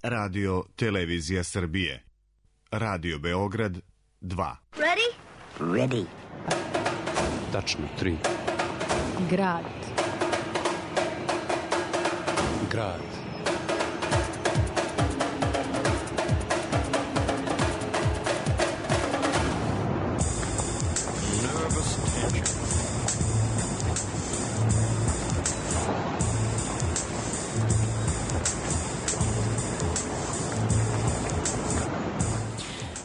Radio Televizija Srbije. Radio Beograd 2. Ready? Ready. Tačno 3. Grad. Grad. Nervous tension.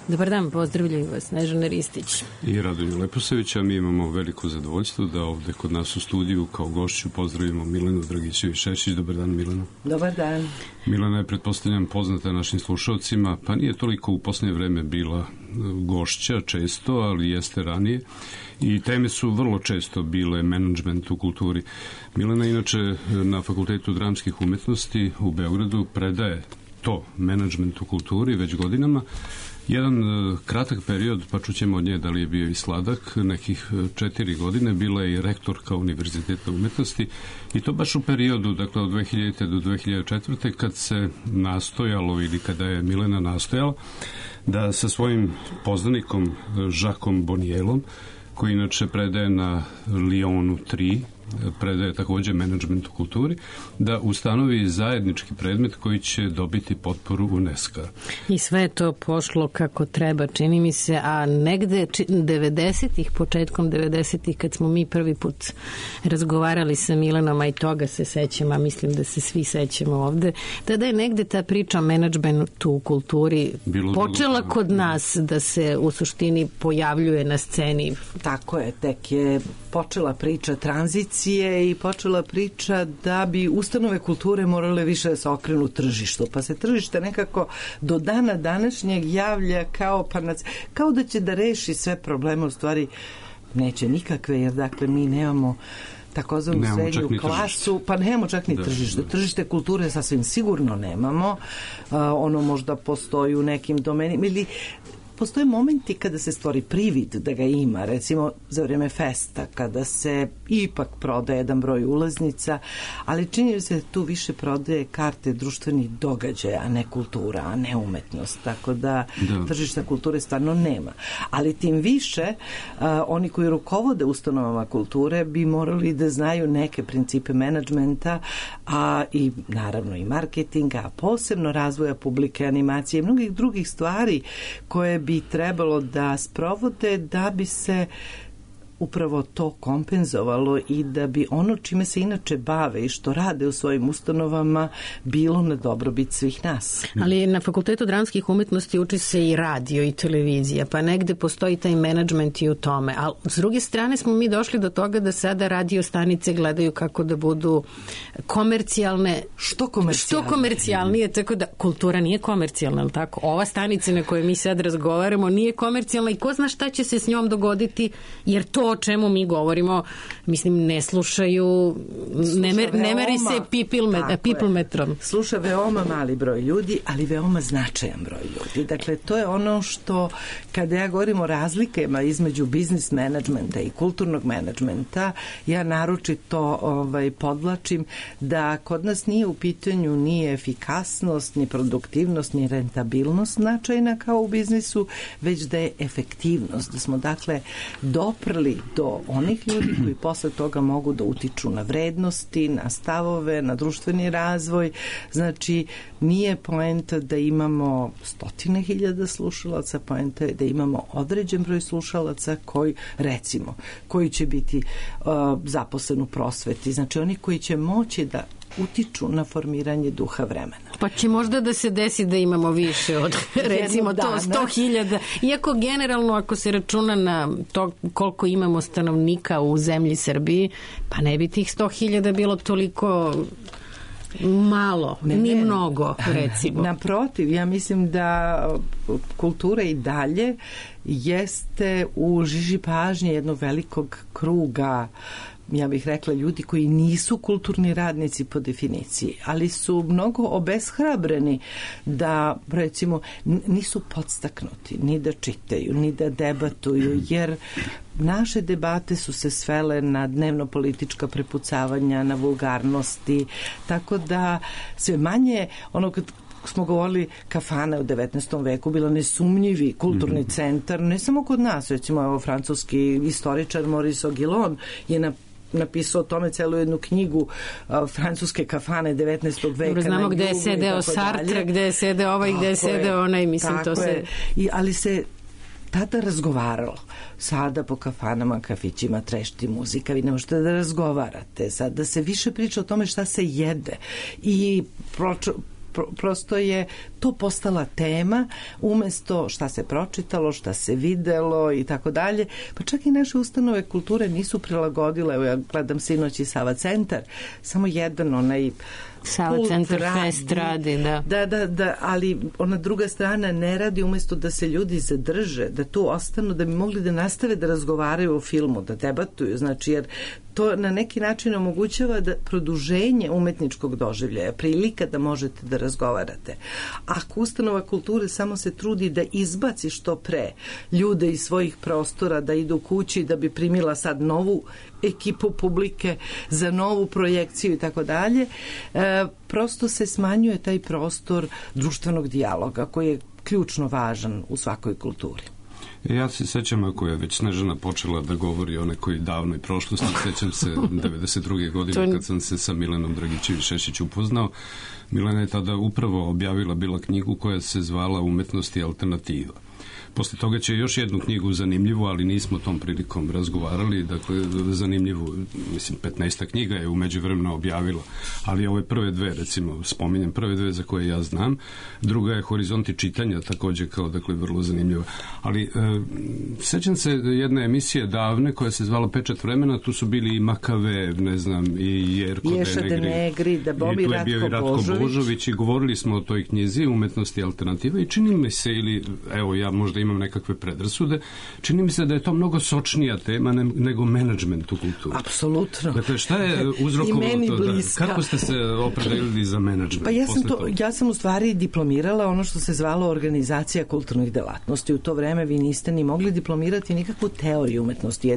Dobar dan, pozdravljaju vas Snežana Ristić I Radomir Leposavić, a mi imamo veliko zadovoljstvo da ovde kod nas u studiju kao gošću pozdravimo Milenu Dragićević-Šešić. Dobar dan, Milena. Dobar dan. Milena je, pretpostavljam, poznata našim slušalcima, pa nije toliko u posljednje vreme bila gošća često, ali jeste ranije. I teme su vrlo često bile menadžment u kulturi. Milena, inače, na Fakultetu dramskih umetnosti u Beogradu predaje to, menadžment u kulturi, već godinama. Jedan kratak period, pa čućemo od nje da li je bio i sladak, nekih 4 godine, bila je i rektorka Univerziteta umetnosti i to baš u periodu, dakle od 2000. do 2004. kad se nastojalo ili kada je Milena nastojala da sa svojim poznanikom Jacquesom Bonnielom, koji inače predaje na Lyonu 3, predaje takođe menadžment u kulturi, da ustanovi zajednički predmet koji će dobiti potporu UNESCO. I sve je to pošlo kako treba, čini mi se, a negde 90-ih, početkom 90-ih, kad smo mi prvi put razgovarali sa Milenom, a i toga se sećam, a mislim da se svi sećamo ovde, tada je negde ta priča o menadžmentu u kulturi počela kod nas da se u suštini pojavljuje na sceni. Tako je, tek je počela priča tranzicije i počela priča da bi ustanove kulture morale više da se okrenu tržištu, pa se tržište nekako do dana današnjeg javlja kao da će da reši sve probleme, u stvari neće nikakve, jer dakle mi nemamo takozvanu srednju klasu, pa nemamo čak ni tržište. Tržište kulture sasvim sigurno nemamo, ono možda postoji u nekim domenima ili postoje momenti kada se stvori privid da ga ima, recimo za vrijeme festa, kada se ipak prodaje jedan broj ulaznica, ali čini se tu više prodaje karte društvenih događaja, a ne kultura, a ne umetnost, tako da tržišta kulture stvarno nema. Ali tim više, oni koji rukovode ustanovama kulture bi morali da znaju neke principe menadžmenta, a i naravno i marketinga, a posebno razvoja publike, animacije i mnogih drugih stvari koje bi trebalo da sprovode da bi se upravo to kompenzovalo i da bi ono čime se inače bave i što rade u svojim ustanovama bilo na dobrobit svih nas. Ali na Fakultetu dramskih umetnosti uči se i radio i televizija, pa negde postoji taj menadžment i u tome. Ali s druge strane smo mi došli do toga da sada radio stanice gledaju kako da budu komercijalne. Što komercijalnije, tako da kultura nije komercijalna, ali tako? Ova stanica na kojoj mi sad razgovaramo nije komercijalna i ko zna šta će se s njom dogoditi, jer to o čemu mi govorimo, mislim, ne slušaju, ne meri se people metrom. Sluša veoma mali broj ljudi, ali veoma značajan broj ljudi. Dakle, to je ono što, kada ja govorim o razlikama između biznis menadžmenta i kulturnog menadžmenta, ja naročito podvlačim da kod nas nije u pitanju ni efikasnost, ni produktivnost, ni rentabilnost značajna kao u biznisu, već da je efektivnost, da smo dakle doprli do onih ljudi koji posle toga mogu da utiču na vrednosti, na stavove, na društveni razvoj. Znači, nije poenta da imamo 100.000 slušalaca, poenta je da imamo određen broj slušalaca koji će biti zaposlen u prosveti. Znači, oni koji će moći da utiču na formiranje duha vremena. Pa će možda da se desi da imamo više od recimo to 100.000. Iako generalno ako se računa na to koliko imamo stanovnika u zemlji Srbiji, pa ne bi tih 100.000 bilo toliko malo, ni mnogo, recimo. Naprotiv, ja mislim da kultura i dalje jeste u žiži pažnje jednog velikog kruga, ja bih rekla, ljudi koji nisu kulturni radnici po definiciji, ali su mnogo obeshrabreni da, recimo, nisu podstaknuti ni da čitaju, ni da debatuju, jer naše debate su se svele na dnevno-politička prepucavanja, na vulgarnosti, tako da sve manje, ono smo govorili, kafana u 19. veku bila nesumnjivi kulturni centar, ne samo kod nas, recimo evo, francuski istoričar Maurice Aguilon je napisao o tome celu jednu knjigu francuske kafane 19. veka. Dobro, znamo gde je sedeo Sartre, gde je sedeo ovaj, gde je sedeo onaj, mislim, to se... Ali se tada razgovaralo. Sada po kafanama, kafićima trešti muzika, vi ne možete da razgovarate. Sad da se više priča o tome šta se jede i prosto je to postala tema umesto šta se pročitalo, šta se videlo i tako dalje. Pa čak i naše ustanove kulture nisu prilagodile. Evo ja gledam sinoć i Sava centar, samo jedan onaj Sava centar fest radi, da. Da, ali ona druga strana ne radi, umesto da se ljudi zadrže, da tu ostanu, da bi mogli da nastave da razgovaraju o filmu, da debatuju, znači jer to na neki način omogućava da produženje umetničkog doživljaja, prilika da možete da razgovarate. Ako ustanova kulture samo se trudi da izbaci što pre ljude iz svojih prostora, da idu kući, da bi primila sad novu ekipu publike za novu projekciju i tako dalje, prosto se smanjuje taj prostor društvenog dijaloga koji je ključno važan u svakoj kulturi. Ja se sećam, ako je već Snežana počela da govori o nekoj davnoj prošlosti, sećam se 92. godine kad sam se sa Milenom Dragićević-Šešić upoznao. Milena je tada upravo objavila bila knjigu koja se zvala Umetnost i alternativa. Posle toga će još jednu knjigu zanimljivu, ali nismo tom prilikom razgovarali, dakle zanimljivu, mislim 15 knjiga je u međuvremenu objavila, ali ove prve dve, recimo spominjem prve dve za koje ja znam, druga je Horizonti čitanja, takođe kao, dakle, vrlo zanimljiva. Ali sećam se jedne emisije davne koja se zvala Pečat vremena, tu su bili i Makavev, ne znam, i Jerko Denegri, da Bobi, i tu je bio i Ratko Božović i govorili smo o toj knjizi Umetnosti i alternativa i čini mi se, ili evo ja možda imam nekakve predrasude, čini mi se da je to mnogo sočnija tema nego menadžment u kulturi. Apsolutno. Dakle, šta je uzrokovalo to? Kako ste se opredelili za menadžment? Pa ja sam u stvari diplomirala ono što se zvalo organizacija kulturnih delatnosti. U to vreme vi niste ni mogli diplomirati nikakvu teoriju umetnosti.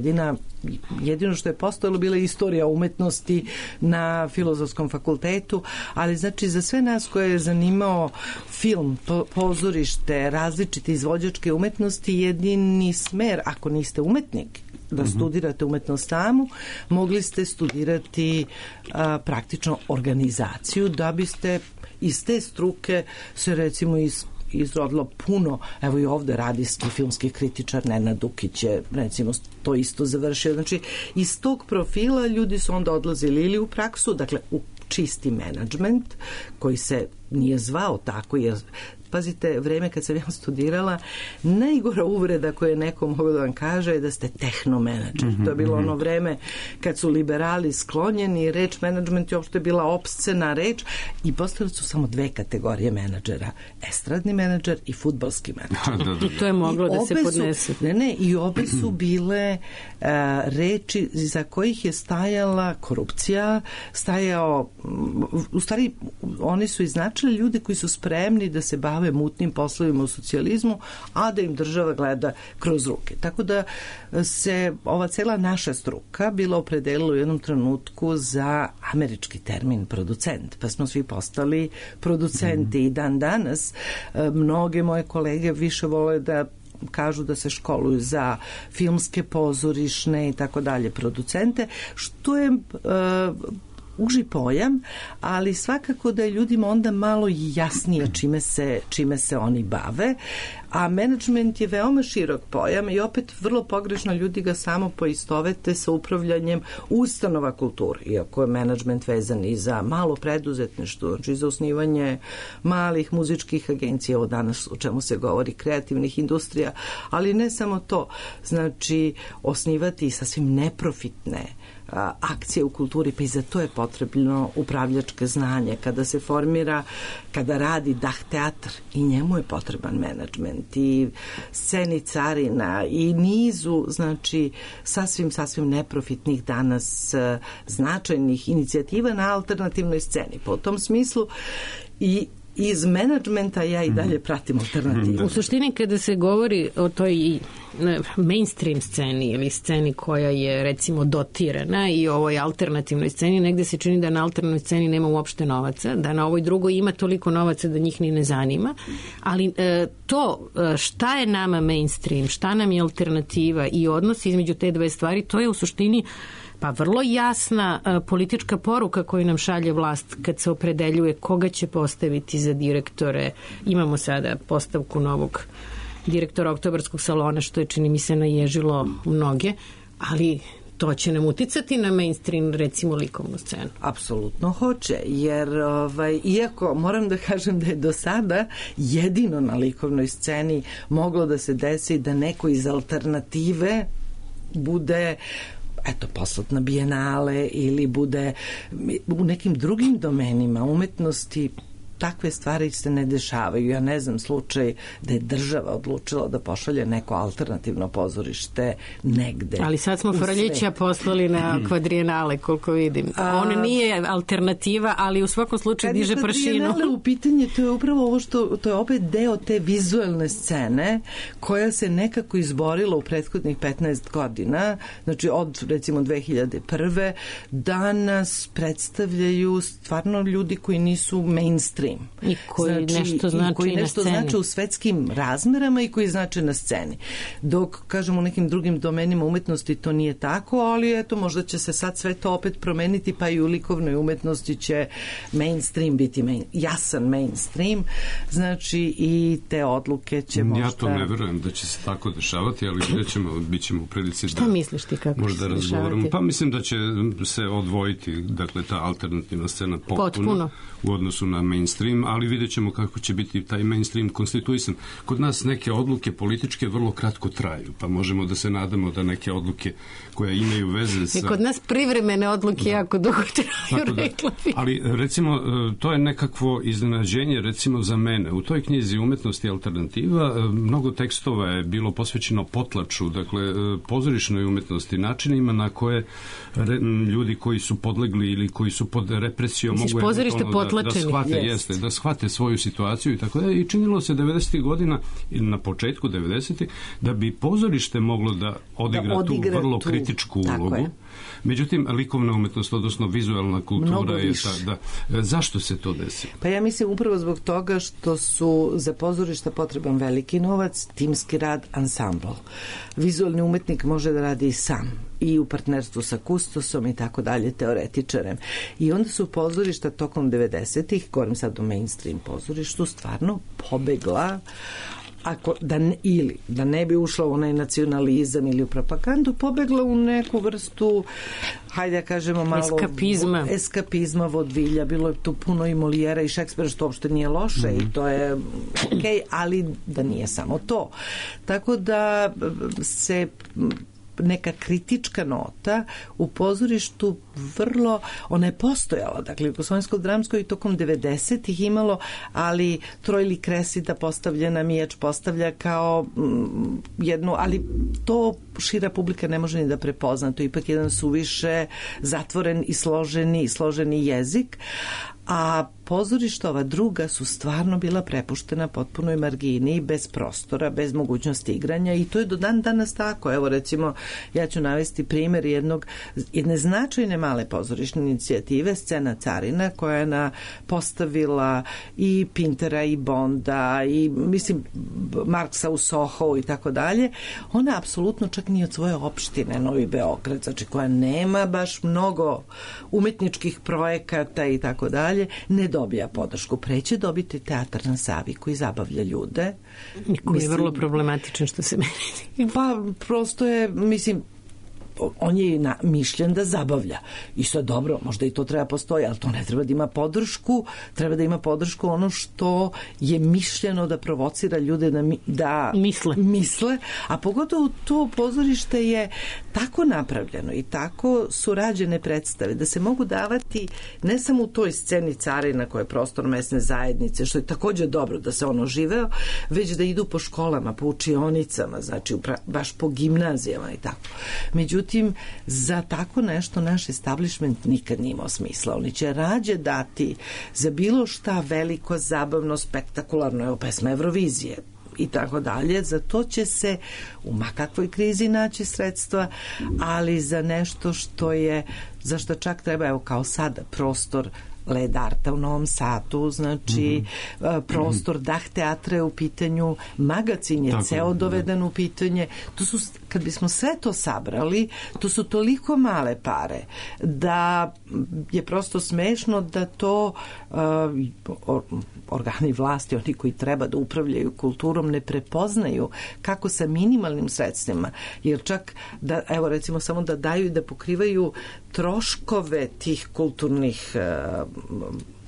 Jedino što je postojalo bila istorija umetnosti na Filozofskom fakultetu, ali znači za sve nas koje je zanimao film, pozorište, različite izvođačke umetnosti, jedini smer, ako niste umetnik, da studirate umetnost samu, mogli ste studirati praktično organizaciju, da biste iz te struke se recimo izrodilo puno, evo i ovde radijski filmski kritičar Nenad Dukić je recimo to isto završio. Znači iz tog profila ljudi su onda odlazili ili u praksu, dakle u čisti menadžment koji se nije zvao tako, jer pazite, vreme kad sam ja studirala, najgora uvreda koju neko mogu da vam kaže je da ste tehnomenadžer. To je bilo ono vreme kad su liberali sklonjeni, reč menadžment je uopšte bila opscena reč i postale su samo dve kategorije menadžera. Estradni menadžer i fudbalski menadžer. I to je moglo da se podnese. I obe su bile reči za kojih je stajala korupcija, u stvari oni su iznačili ljudi koji su spremni da se bave mutnim poslovima u socijalizmu, a da im država gleda kroz ruke. Tako da se ova cela naša struka bila opredelila u jednom trenutku za američki termin producent, pa smo svi postali producenti i dan danas mnoge moje kolege više vole da kažu da se školuju za filmske, pozorišne i tako dalje producente, što je uži pojam, ali svakako da je ljudima onda malo jasnije čime se oni bave, a menadžment je veoma širok pojam i opet vrlo pogrešno ljudi ga samo poistovete sa upravljanjem ustanova kulture, iako je menadžment vezan i za malo preduzetništvo, znači za osnivanje malih muzičkih agencija, ovo danas o čemu se govori, kreativnih industrija, ali ne samo to, znači osnivati sasvim neprofitne akcije u kulturi, pa i za to je potrebno upravljačke znanje. Kada se formira, kada radi Dah teatr, i njemu je potreban menadžment i sceni carina i nizu, znači sasvim neprofitnih danas značajnih inicijativa na alternativnoj sceni. Po tom smislu i iz menadžmenta ja i dalje pratim alternativu. U suštini kada se govori o toj mainstream sceni ili sceni koja je recimo dotirana i ovoj alternativnoj sceni, negde se čini da na alternativnoj sceni nema uopšte novaca, da na ovoj drugoj ima toliko novaca da njih ni ne zanima, ali to šta je nama mainstream, šta nam je alternativa i odnos između te dve stvari, to je u suštini pa vrlo jasna politička poruka koju nam šalje vlast kad se opredeljuje koga će postaviti za direktore. Imamo sada postavku novog direktora Oktobarskog salona, što je, čini mi se, naježilo mnoge, ali to će nam uticati na mainstream, recimo, likovnu scenu. Apsolutno hoće, jer iako moram da kažem da je do sada jedino na likovnoj sceni moglo da se desi da neko iz alternative bude poslat na bijenale ili bude u nekim drugim domenima umetnosti. Takve stvari se ne dešavaju. Ja ne znam slučaj da je država odlučila da pošalje neko alternativno pozorište negde. Ali sad smo Frljića poslali na kvadrijenale, koliko vidim. On nije alternativa, ali u svakom slučaju diže prašinu. Kad je kvadrijenale u pitanje, to je upravo ovo što, to je opet deo te vizualne scene koja se nekako izborila u prethodnih 15 godina, znači od recimo 2001. danas predstavljaju stvarno ljudi koji nisu mainstream. I koji nešto znači koji nešto znači u svetskim razmerama i koji znači na sceni. Dok, kažem, u nekim drugim domenima umetnosti to nije tako, ali eto, možda će se sad sve to opet promeniti, pa i u likovnoj umetnosti će mainstream biti jasan mainstream, znači i te odluke će možda... Ja to ne verujem da će se tako dešavati, ali bit ćemo u prilici Šta misliš ti kako možda razgovaramo. Pa mislim da će se odvojiti, dakle, ta alternativna scena potpuno u odnosu na mainstream, ali vidjet ćemo kako će biti taj mainstream konstituisan. Kod nas neke odluke političke vrlo kratko traju, pa možemo da se nadamo da neke odluke koje imaju veze sa... Kod nas privremene odluke jako dugo traju, rekla bi. Ali, recimo, to je nekakvo iznenađenje, recimo, za mene. U toj knjizi Umetnosti alternativa mnogo tekstova je bilo posvećeno potlaču, dakle, pozorišnoj umetnosti, načinima na koje ljudi koji su podlegli ili koji su pod represijom mogu da shvate svoju situaciju i tako da. I činilo se 90. godina ili na početku 90. da bi pozorište moglo da odigra tu vrlo kritičku ulogu. Međutim, likovna umetnost, odnosno vizualna kultura je ta, zašto se to desi? Pa ja mislim upravo zbog toga što su za pozorišta potreban veliki novac, timski rad, ansambl. Vizualni umetnik može da radi i sam i u partnerstvu sa kustosom i tako dalje, teoretičarem. I onda su pozorišta tokom 90-ih, govorim sad o mainstream pozorištu, stvarno pobegla da ne bi ušla u onaj nacionalizam ili u propagandu, pobegla u neku vrstu, hajde da kažemo malo eskapizma, vodvilja. Bilo je tu puno i Molijera i Šekspira, što uopšte nije loše i to je okej, ali da nije samo to. Tako da se neka kritička nota u pozorištu vrlo, ona je postojala, dakle u Jugoslovensko-dramskoj i tokom 90-ih imalo, ali Trojli Kresida postavljena, Mijač postavlja kao jednu, ali to šira publika ne može ni da prepozna, to je ipak jedan suviše zatvoren i složeni jezik, a pozorišta ova druga su stvarno bila prepuštena potpunoj margini, bez prostora, bez mogućnosti igranja i to je do dan danas tako. Evo recimo, ja ću navesti primjer jedne značajne male pozorišne inicijative, Scena Carina, koja je postavila i Pintera i Bonda i mislim Marksa u Soho i tako dalje. Ona apsolutno čak ni od svoje opštine Novi Beograd, znači koja nema baš mnogo umetničkih projekata i tako dalje, ne dobija podršku. Preće dobiti teatar na Savi koji zabavlja ljude. Koji je vrlo problematičan što se meni. Pa prosto je, mislim, on je mišljen da zabavlja. I sve dobro, možda i to treba postoji, ali to ne treba da ima podršku, treba da ima podršku ono što je mišljeno da provocira ljude da misle, a pogotovo to pozorište je tako napravljeno i tako su rađene predstave da se mogu davati ne samo u toj sceni Carina koja je prostor mesne zajednice, što je takođe dobro da se ono živeo, već da idu po školama, po učionicama, znači baš po gimnazijama i tako. Međutim, Međutim, za tako nešto naš establishment nikad nije imao smisla. Oni će rađe dati za bilo šta veliko, zabavno, spektakularno, evo pesma Eurovizije i tako dalje. Za to će se u makakvoj krizi naći sredstva, ali za nešto što je, za što čak treba, evo kao sada, prostor Led Arta u Novom Sadu, znači prostor Dah teatra je u pitanju, magacin je ceo doveden u pitanje. To su, kad bismo sve to sabrali, to su toliko male pare da je prosto smešno da to organi vlasti, oni koji treba da upravljaju kulturom, ne prepoznaju kako sa minimalnim sredstvima, jer čak da, evo recimo samo da daju i da pokrivaju troškove tih kulturnih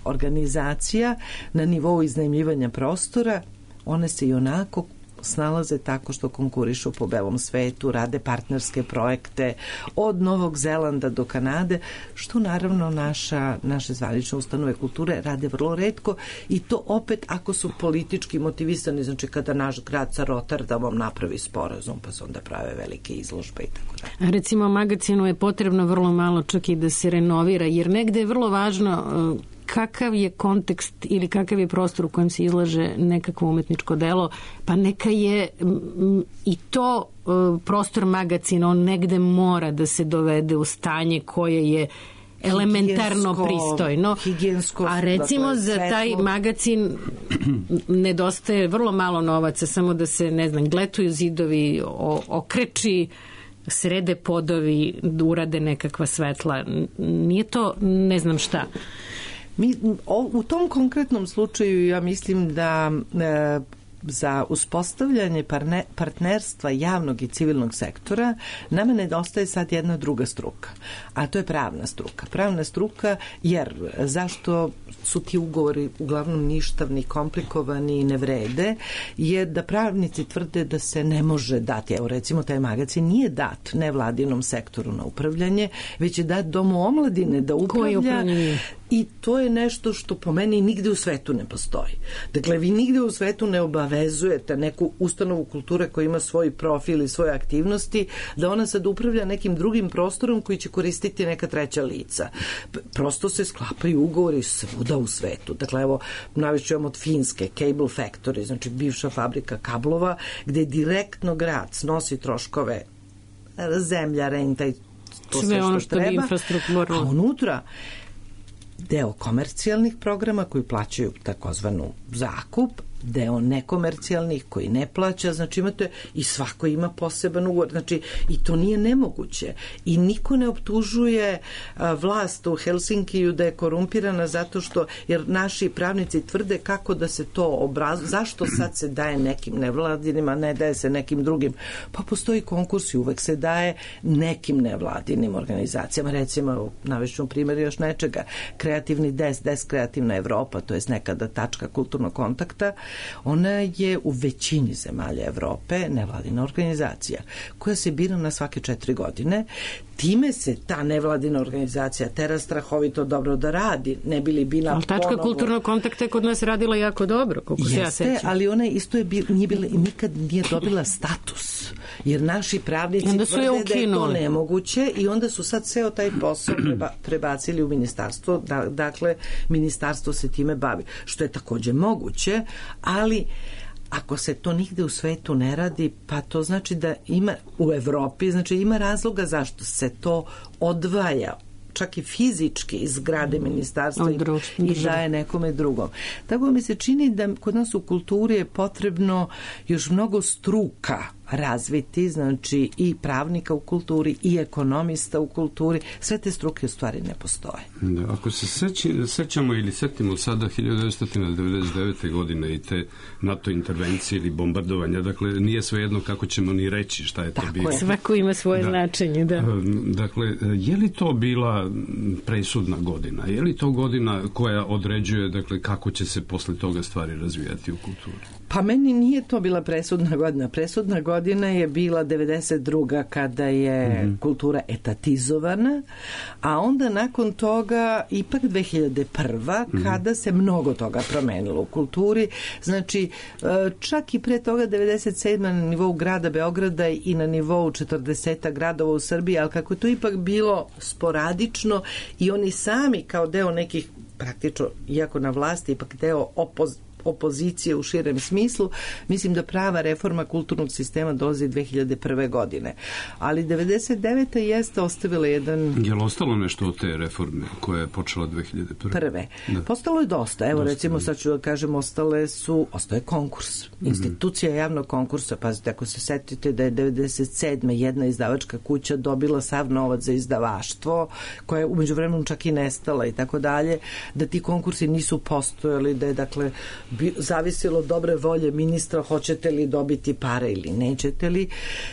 organizacija na nivou iznajmljivanja prostora, one se i onako snalaze tako što konkurišu po belom svetu, rade partnerske projekte od Novog Zelanda do Kanade, što naravno naše zvanične ustanove kulture rade vrlo retko i to opet ako su politički motivisani, znači kada naš grad sa Rotterdamom napravi sporazum pa se onda prave velike izložbe i tako dalje. Recimo magacinu je potrebno vrlo malo čak i da se renovira, jer negde je vrlo važno kakav je kontekst ili kakav je prostor u kojem se izlaže nekakvo umetničko delo, pa neka je i to prostor magacina, on negde mora da se dovede u stanje koje je elementarno pristojno. A recimo za taj magacin nedostaje vrlo malo novaca, samo da se, ne znam, gletuju zidovi, okreči, srede podovi, urade nekakva svetla. Nije to ne znam šta. U tom konkretnom slučaju ja mislim da za uspostavljanje partnerstva javnog i civilnog sektora nama nedostaje sad jedna druga struka, a to je pravna struka. Pravna struka, jer zašto su ti ugovori uglavnom ništavni, komplikovani i ne vrede, je da pravnici tvrde da se ne može dati. Evo recimo taj magacin nije dat nevladinom sektoru na upravljanje, već je dat Domu omladine da upravlja. I to je nešto što po meni nigde u svetu ne postoji. Dakle, vi nigde u svetu ne obavezujete neku ustanovu kulture koja ima svoj profil i svoje aktivnosti, da ona sad upravlja nekim drugim prostorom koji će koristiti neka treća lica. Prosto se sklapaju ugovori svuda u svetu. Dakle, evo, navešćujem od Finske, Cable Factory, znači bivša fabrika kablova, gde direktno grad snosi troškove zemlja, renta i to sve što treba, a unutra deo komercijalnih programa koji plaćaju takozvanu zakup, deo nekomercijalnih koji ne plaća, znači imate i svako ima poseban ugovor, znači i to nije nemoguće i niko ne optužuje vlast u Helsinkiju da je korumpirana zato što, jer naši pravnici tvrde kako da se to zašto sad se daje nekim nevladinima, ne daje se nekim drugim, pa postoji konkurs i uvek se daje nekim nevladinim organizacijama, recimo navešću primjer još nečega, kreativni des Kreativna Evropa, to je nekada tačka kulturnog kontakta, ona je u većini zemalja Evrope nevladina organizacija koja se bira na svake 4 godine. Time se ta nevladina organizacija tera strahovito dobro da radi, ne bi li bila ali tačka ponovo kulturnog kontakta je kod nas radila jako dobro, koliko se ja sećam. Ali ona isto je nikad nije dobila status, jer naši pravnici tvrde da je to nemoguće i onda su sad ceo taj posao prebacili u ministarstvo, dakle ministarstvo se time bavi, što je takođe moguće, ali ako se to nigde u svetu ne radi, pa to znači da ima u Evropi, znači ima razloga zašto se to odvaja čak i fizički iz zgrade ministarstva i daje nekome drugom. Tako mi se čini da kod nas u kulturi je potrebno još mnogo struka razviti, znači i pravnika u kulturi i ekonomista u kulturi, sve te struke u stvari ne postoje. Da, ako se sećamo ili setimo sada 1999. godine i te NATO intervencije ili bombardovanja, dakle nije svejedno kako ćemo ni reći šta je to bilo. Svako ima svoje značenje, da. Dakle, je li to bila presudna godina? Je li to godina koja određuje, dakle, kako će se posle toga stvari razvijati u kulturi? Pa meni nije to bila presudna godina. Presudna godina je bila 92. kada je kultura etatizovana, a onda nakon toga ipak 2001. kada se mnogo toga promenilo u kulturi. Znači, čak i pre toga 97. na nivou grada Beograda i na nivou 40 gradova u Srbiji, ali kako je to ipak bilo sporadično i oni sami kao deo nekih praktično, iako na vlasti, ipak deo opozicije u širem smislu, mislim da prava reforma kulturnog sistema dolazi 2001. godine. Ali 99. jeste ostavila jedan... Je li ostalo nešto od te reforme koja je počela 2001. Prve. Da. Postalo je dosta. Evo recimo sad ću da kažem, ostaje konkurs. Institucija javnog konkursa. Pazite, ako se setite da je 97. jedna izdavačka kuća dobila sav novac za izdavaštvo, koja je umeđu vremenu čak i nestala i tako dalje, da ti konkursi nisu postojali, da je dakle zavisilo od dobre volje ministra hoćete li dobiti pare ili nećete li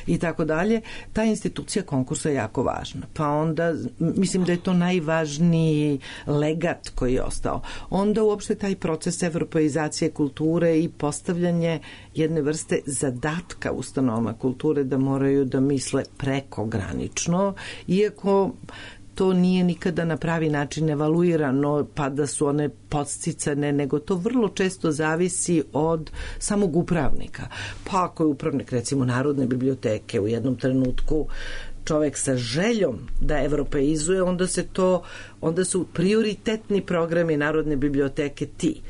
i tako dalje. Ta institucija konkursa je jako važna. Pa onda mislim da je to najvažniji legat koji je ostao. Onda uopšte taj proces evropeizacije kulture i postavljanje jedne vrste zadatka ustanovama kulture da moraju da misle prekogranično, iako to nije nikada na pravi način evaluirano, pa da su one podsticane, nego to vrlo često zavisi od samog upravnika. Pa ako je upravnik, recimo, Narodne biblioteke u jednom trenutku čovek sa željom da evropeizuje, onda su prioritetni programi Narodne biblioteke ti.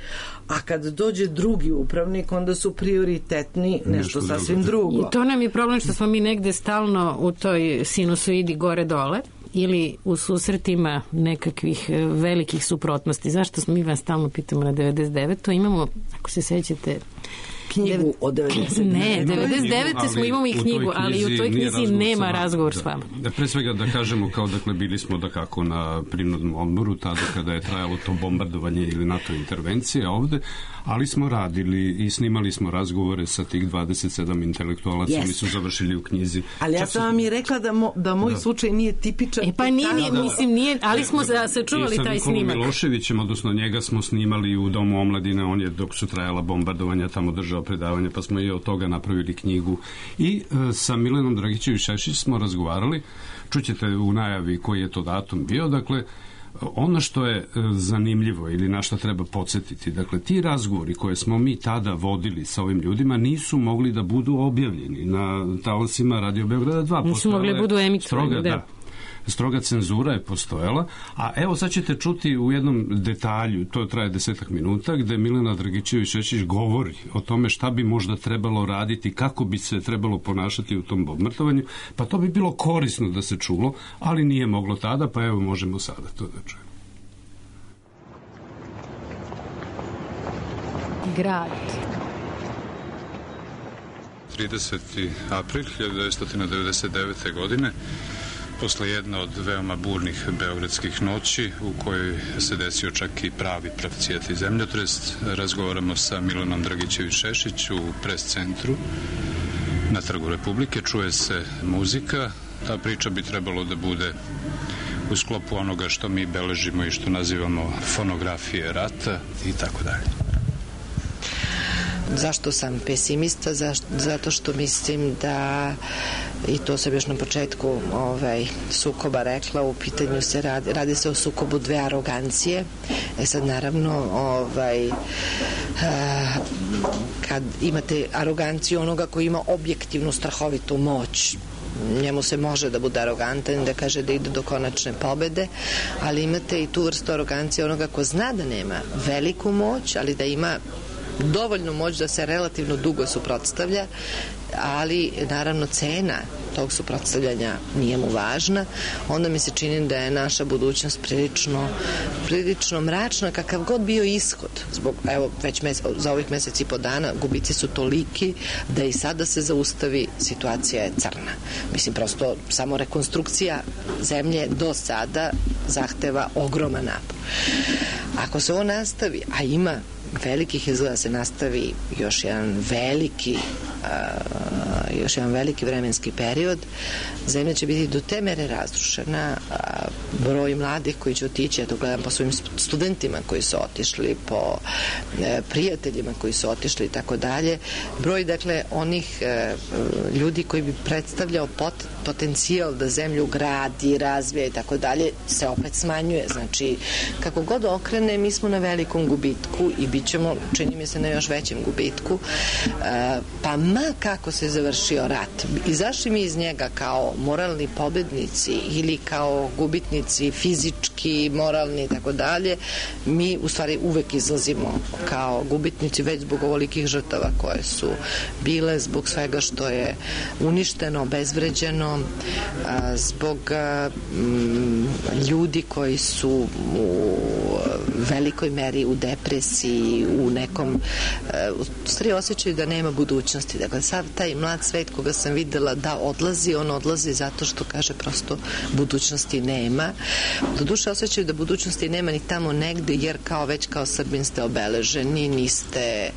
A kad dođe drugi upravnik, onda su prioritetni nešto sasvim drugo. I to nam je problem što smo mi negde stalno u toj sinusoidi gore-dole ili u susretima nekakvih velikih suprotnosti. Zašto smo mi vas stalno pitamo na 99. To imamo, ako se sećate, knjigu od 99. Ne, 99. smo imamo i knjigu, ali u toj knjizi nema razgovor s vama. Da, pre svega da kažemo kao dakle bili smo da kako na prinudnom odmoru tada kada je trajalo to bombardovanje ili NATO intervencije ovde, ali smo radili i snimali smo razgovore sa tih 27 intelektualaca, oni su završili u knjizi. Ali ja sam vam i rekla da moj slučaj nije tipičan. Pa nije, mislim, nije, ali smo sačuvali taj snimak. Sa Nikolom Miloševićem, odnosno njega smo snimali u Domu omladine, on je dok su trajala bombardovanja tamo držao predavanja, pa smo i od toga napravili knjigu. I sa Milenom Dragićević-Šešić smo razgovarali, čućete u najavi koji je to datum bio, dakle, ono što je zanimljivo ili na što treba podsjetiti, dakle, ti razgovori koje smo mi tada vodili sa ovim ljudima nisu mogli da budu objavljeni na talasima Radio Beograda 2. Nisu mogli da budu emitovani, da. Stroga cenzura je postojala, a evo sad ćete čuti u jednom detalju, to traje 10 minuta, gde Milena Dragićević-Šešić govori o tome šta bi možda trebalo raditi, kako bi se trebalo ponašati u tom bombardovanju, pa to bi bilo korisno da se čulo, ali nije moglo tada, pa evo možemo sada to da čujemo. Grad. 30. april 1999. godine, posle jedne od veoma burnih beogradskih noći u kojoj se desio čak i pravi pravcijati zemljotres, razgovaramo sa Milenom Dragićević-Šešić u pres centru na Trgu Republike, čuje se muzika, ta priča bi trebalo da bude u sklopu onoga što mi beležimo i što nazivamo fonografije rata i tako dalje. Zašto sam pesimista? Zato što mislim da, i to sam još na početku sukoba rekla, u pitanju se radi se o sukobu dve arogancije. Sad naravno kad imate aroganciju onoga koji ima objektivnu strahovitu moć, njemu se može da bude arogantan, da kaže da ide do konačne pobede, ali imate i tu vrstu arogancije onoga ko zna da nema veliku moć, ali da ima dovoljnu moć da se relativno dugo suprotstavlja, ali naravno cena tog suprotstavljanja nije mu važna. Onda mi se čini da je naša budućnost prilično mračna, kakav god bio ishod. Zbog, evo, već za ovih meseci i po dana gubici su toliki da i sada se zaustavi, situacija je crna. Mislim, prosto samo rekonstrukcija zemlje do sada zahteva ogroman napor. Ako se ovo nastavi, a ima velikih izgleda se nastavi još jedan veliki još jedan veliki vremenski period. Zemlja će biti do te mere razrušena, broj mladih koji će otići, ja to gledam po svojim studentima koji su otišli, po prijateljima koji su otišli i tako dalje. Broj, dakle, onih ljudi koji bi predstavljao potencijal da zemlju gradi, razvija i tako dalje, se opet smanjuje. Znači, kako god okrene, mi smo na velikom gubitku i bit ćemo, čini mi se, na još većem gubitku. Pa ma kako se završio rat, izašli mi iz njega kao moralni pobednici ili kao gubitnici fizički, moralni i tako dalje, mi u stvari uvek izlazimo kao gubitnici već zbog ovolikih žrtava koje su bile, zbog svega što je uništeno, obezvređeno, zbog ljudi koji su u velikoj meri u depresiji, u nekom u stvari osjećaju da nema budućnosti. Dakle, sav taj mlad svet koga sam videla da odlazi, on odlazi zato što kaže prosto budućnosti nema. Doduše osjećaju da budućnosti nema ni tamo negde, jer kao već kao Srbin ste obeleženi, niste,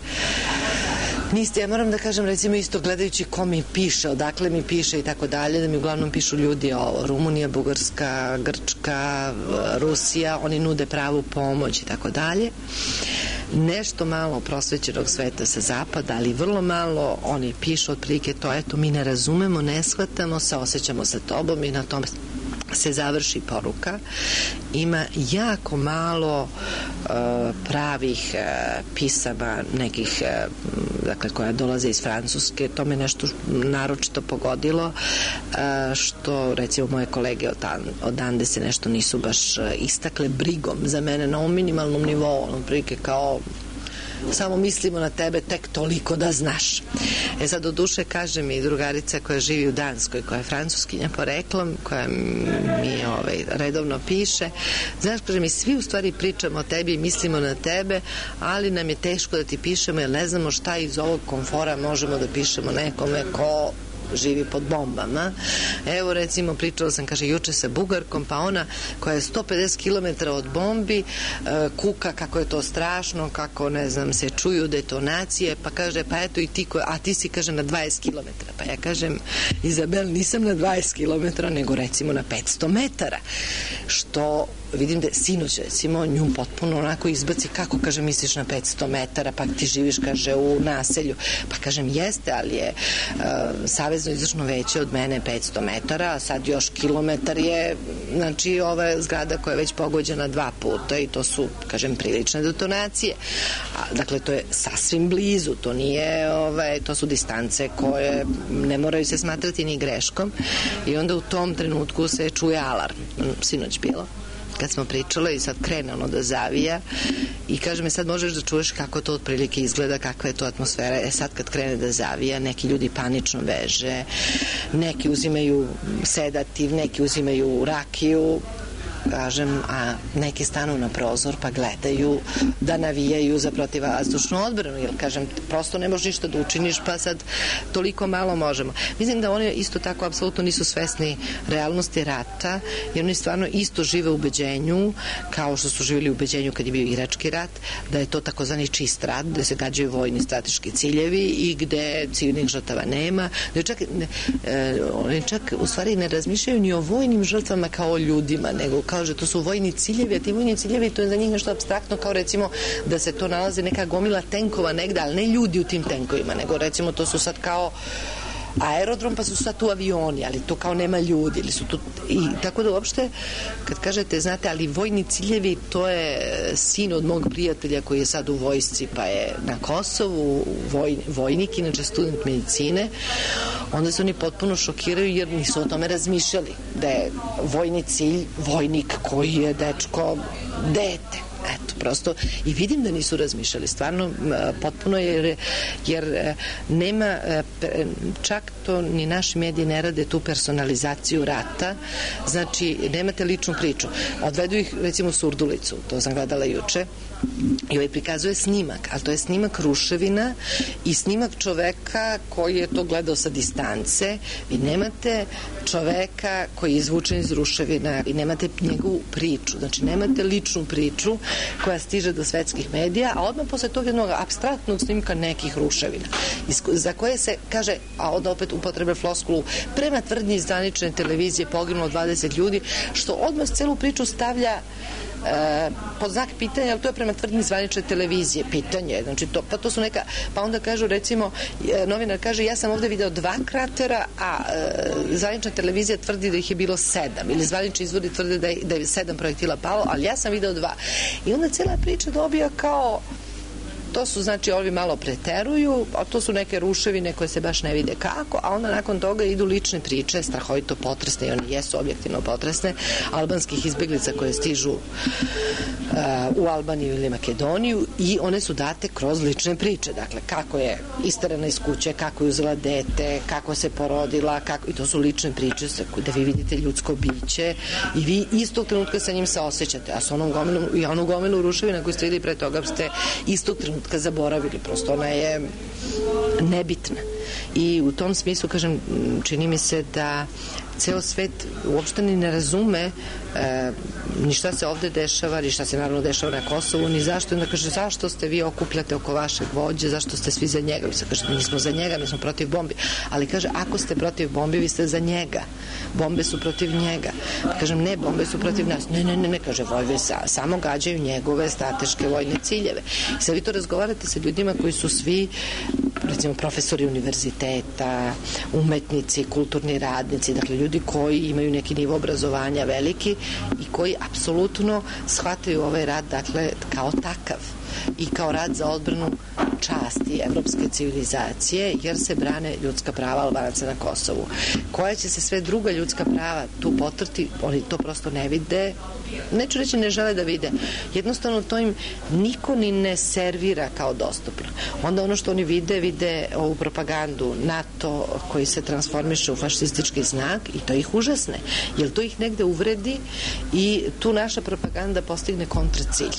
ja moram da kažem, recimo isto gledajući ko mi piše, odakle mi piše i tako dalje, da mi uglavnom pišu ljudi o Rumunija, Bugarska, Grčka, Rusija, oni nude pravu pomoć i tako dalje. Nešto malo prosvećenog sveta sa zapada, ali vrlo malo oni pišu otprilike to, eto, mi ne razumemo, ne shvatamo, saosećamo sa tobom i na tome se završi poruka. Ima jako malo pravih pisama nekih, dakle, koja dolaze iz Francuske. To me nešto naročito pogodilo, što recimo moje kolege odande se nešto nisu baš istakle brigom za mene na ovom minimalnom nivou, ono prilike kao samo mislimo na tebe tek toliko da znaš. Sad do duše kaže mi drugarica koja živi u Danskoj, koja je francuskinja poreklom, koja mi redovno piše, znaš, kaže mi, svi u stvari pričamo o tebi i mislimo na tebe, ali nam je teško da ti pišemo jer ne znamo šta iz ovog komfora možemo da pišemo nekome ko živi pod bombama. Evo, recimo, pričala sam, kaže, juče sa Bugarkom, pa ona koja je 150 km od bombi kuka kako je to strašno, kako, ne znam, se čuju detonacije, pa kaže, pa eto i ti, a ti si, kaže, na 20 km. Pa ja kažem, Izabel, nisam na 20 km, nego recimo na 500 metara. Što vidim da sinoć, recimo, nju potpuno onako izbaci, kako, kaže, misliš na 500 metara, pa ti živiš, kaže, u naselju. Pa kažem, jeste, ali je Savezno izvršno veće od mene 500 metara, a sad još kilometar je, znači, ova zgrada koja je već pogođena 2 puta i to su, kažem, prilične detonacije. Dakle, to je sasvim blizu, to nije, to su distance koje ne moraju se smatrati ni greškom i onda u tom trenutku se čuje alarm. Sinoć bilo, kad smo pričale i sad krene ono da zavija i kaže mi, sad možeš da čuješ kako to otprilike izgleda, kakva je to atmosfera. Sad kad krene da zavija, neki ljudi panično beže, neki uzimaju sedativ, neki uzimaju rakiju, kažem, a neki stanu na prozor pa gledaju da navijaju za protivvazdušnu odbranu, jer, kažem, prosto ne možeš ništa da učiniš, pa sad toliko malo možemo. Mislim da oni isto tako apsolutno nisu svesni realnosti rata, jer oni stvarno isto žive u ubeđenju, kao što su živjeli u ubeđenju kad je bio Irački rat, da je to takozvani čist rat, gde se gađaju vojni strateški ciljevi i gde civilnih žrtava nema. Oni čak u stvari ne razmišljaju ni o vojnim žrtvama kao o ljudima, nego kao že to su vojni ciljevi, a ti vojni ciljevi, to je za njih nešto apstraktno, kao recimo da se to nalaze neka gomila tenkova negde, ali ne ljudi u tim tenkovima, nego recimo to su sad kao aerodrom, pa su sad tu avioni, ali to kao nema ljudi, ili su tu, i tako da uopšte, kad kažete, znate, ali vojni ciljevi, to je sin od mog prijatelja koji je sad u vojsci, pa je na Kosovu, vojnik, inače student medicine, onda se oni potpuno šokiraju jer nisu o tome razmišljali, da je vojni cilj vojnik koji je, dečko, dete. Eto, prosto, i vidim da nisu razmišljali, stvarno potpuno, jer nema, čak to ni naši mediji ne rade tu personalizaciju rata, znači nemate ličnu priču. Odvedu ih, recimo, u Surdulicu, to sam gledala juče, i ovaj prikazuje snimak, a to je snimak ruševina i snimak čoveka koji je to gledao sa distance. Vi nemate čoveka koji je izvučen iz ruševina i nemate njegovu priču, znači nemate ličnu priču koja stiže do svetskih medija, a odmah posle tog jednog apstraktnog snimka nekih ruševina za koje se kaže, a onda opet upotrebe floskulu, prema tvrdnji zvanične televizije poginulo 20 ljudi, što odmah celu priču stavlja pod znak pitanja, ali to je prema tvrdnji zvanične televizije pitanje, znači to su neka, pa onda kažu recimo, novinar kaže ja sam ovde video 2 kratera, a zvanična televizija tvrdi da ih je bilo 7, ili zvanični izvori tvrde da je 7 projektila palo, ali ja sam video 2. I onda cela priča dobija kao to su, znači, ovi malo preteruju, a to su neke ruševine koje se baš ne vide kako, a onda nakon toga idu lične priče, strahovito potresne, i one jesu objektivno potresne, albanskih izbeglica koje stižu u Albaniju ili Makedoniju, i one su date kroz lične priče, dakle, kako je isterana iz kuće, kako je uzela dete, kako se porodila, i to su lične priče da vi vidite ljudsko biće i vi istog trenutka sa njim se osjećate, a sa onu gomilu ruševina koju ste videli pre toga ste istog trenutka zaboravili, prosto ona je nebitna. I u tom smislu, kažem, čini mi se da ceo svet uopšte ni ne razume ni šta se ovde dešava, ni šta se naravno dešava na Kosovu, ni zašto. Onda kaže, zašto ste vi okupljate oko vašeg vođe, zašto ste svi za njega? Mi se kaže, mi smo za njega, mi smo protiv bombi. Ali kaže, ako ste protiv bombi, vi ste za njega. Bombe su protiv njega. Kažem, ne, bombe su protiv nas. Ne, kaže, bombe samo gađaju njegove strateške vojne ciljeve. I sad vi to razgovarate sa ljudima koji su svi, recimo, profesori univerziteta, umetnici, kulturni radnici, dakle, ljudi koji imaju neki nivo obrazovanja veliki i koji apsolutno shvataju ovaj rad, dakle, kao takav i kao rad za odbranu časti evropske civilizacije, jer se brane ljudska prava Albanaca na Kosovu. Koja će se sve druga ljudska prava tu potrti, oni to prosto ne vide, neću reći ne žele da vide, jednostavno to im niko ni ne servira kao dostupno. Onda ono što oni vide ovu propagandu NATO koji se transformiše u fašistički znak i to ih užasne, jer to ih negde uvredi i tu naša propaganda postigne kontracilj.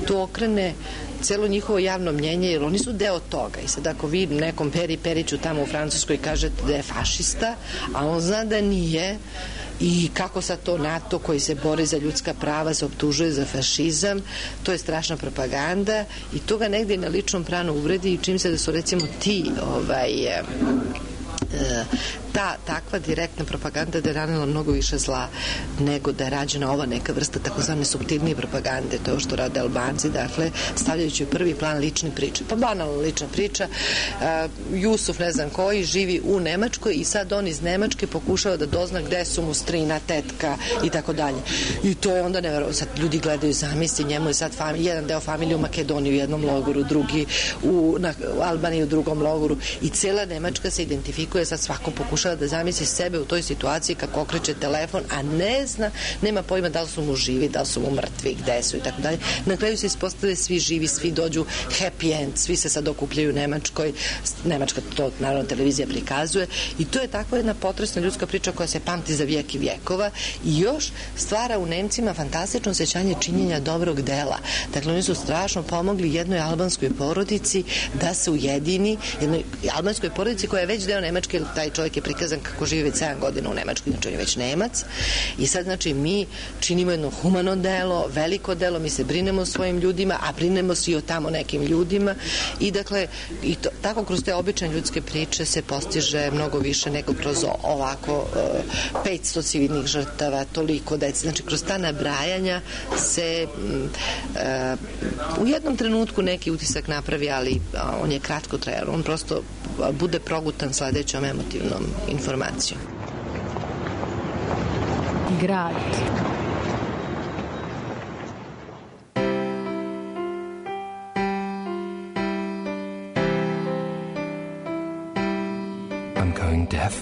Tu okrene celo njihovo javno mnjenje, jer oni su deo toga. I sad ako vi nekom Peri Periću tamo u Francuskoj kažete da je fašista, a on zna da nije, i kako sad to NATO koji se bori za ljudska prava se optužuje za fašizam, to je strašna propaganda i to ga negde na ličnom planu uvredi, i čim se da su recimo ti takva direktna propaganda da je ranila mnogo više zla nego da je rađena ova neka vrsta takozvane suptilnije propagande, to je što rade Albanci, dakle, stavljajući u prvi plan lične priče. Pa banalna lična priča, Jusuf ne znam koji živi u Nemačkoj i sad on iz Nemačke pokušava da dozna gde su mu strina, tetka i tako dalje. I to je onda neverovatno. Sad ljudi gledaju, zamisli, njemu je sad jedan deo familije u Makedoniji u jednom logoru, drugi u Albaniji u drugom logoru, i cela Nemačka se identifikuje, sad svako pokušava da zamisli sebe u toj situaciji kako okreće telefon, a ne zna, nema pojma da li su mu živi, da li su mu mrtvi, gde su i tako dalje. Na kraju se ispostave svi živi, svi dođu happy end, svi se sad okupljaju u Nemačkoj, Nemačka to naravno televizija prikazuje, i to je takva jedna potresna ljudska priča koja se pamti za vijek i vjekova i još stvara u Nemcima fantastično osjećanje činjenja dobrog dela. Dakle, oni su strašno pomogli jednoj albanskoj porodici da se ujedini, jednoj albanskoj porodici koja je već deo Nemačke, jer taj čovjek je prikazan kako živi već 7 godina u Nemačkoj, znači on je već Nemac, i sad znači mi činimo jedno humano delo, veliko delo, mi se brinemo o svojim ljudima, a brinemo se i o tamo nekim ljudima, i dakle tako kroz te obične ljudske priče se postiže mnogo više nego kroz ovako 500 civilnih žrtava, toliko dece, znači kroz ta nabrajanja se u jednom trenutku neki utisak napravi, ali on je kratko trajan, on prosto bude progutan sledećom emotivnom informacijom. Grad. I'm going deaf.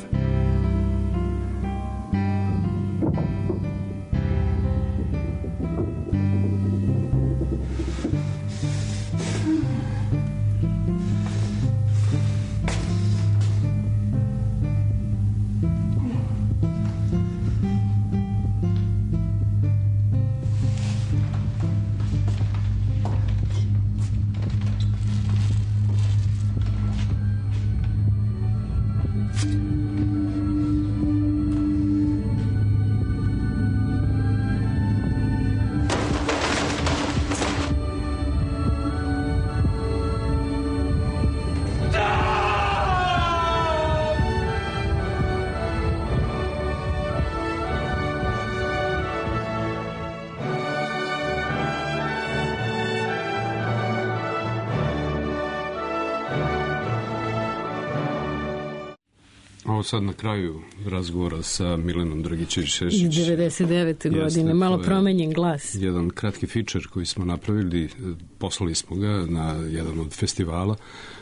Ovo sad na kraju razgovora sa Milenom Dragićević-Šešić. Iz 99. godine, malo promenjen glas. Jedan kratki fičer koji smo napravili, poslali smo ga na jedan od festivala,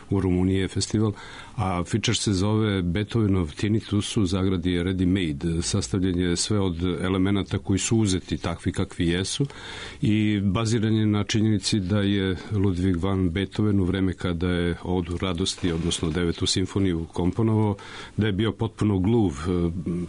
u Rumuniji je festival, a fičer se zove Beethovenov Tinnitus u zagradi je ready made, sastavljen je sve od elemenata koji su uzeti takvi kakvi jesu i baziran je na činjenici da je Ludwig van Beethoven u vreme kada je Odu radosti, odnosno 9. simfoniju komponovao, da je bio potpuno gluv,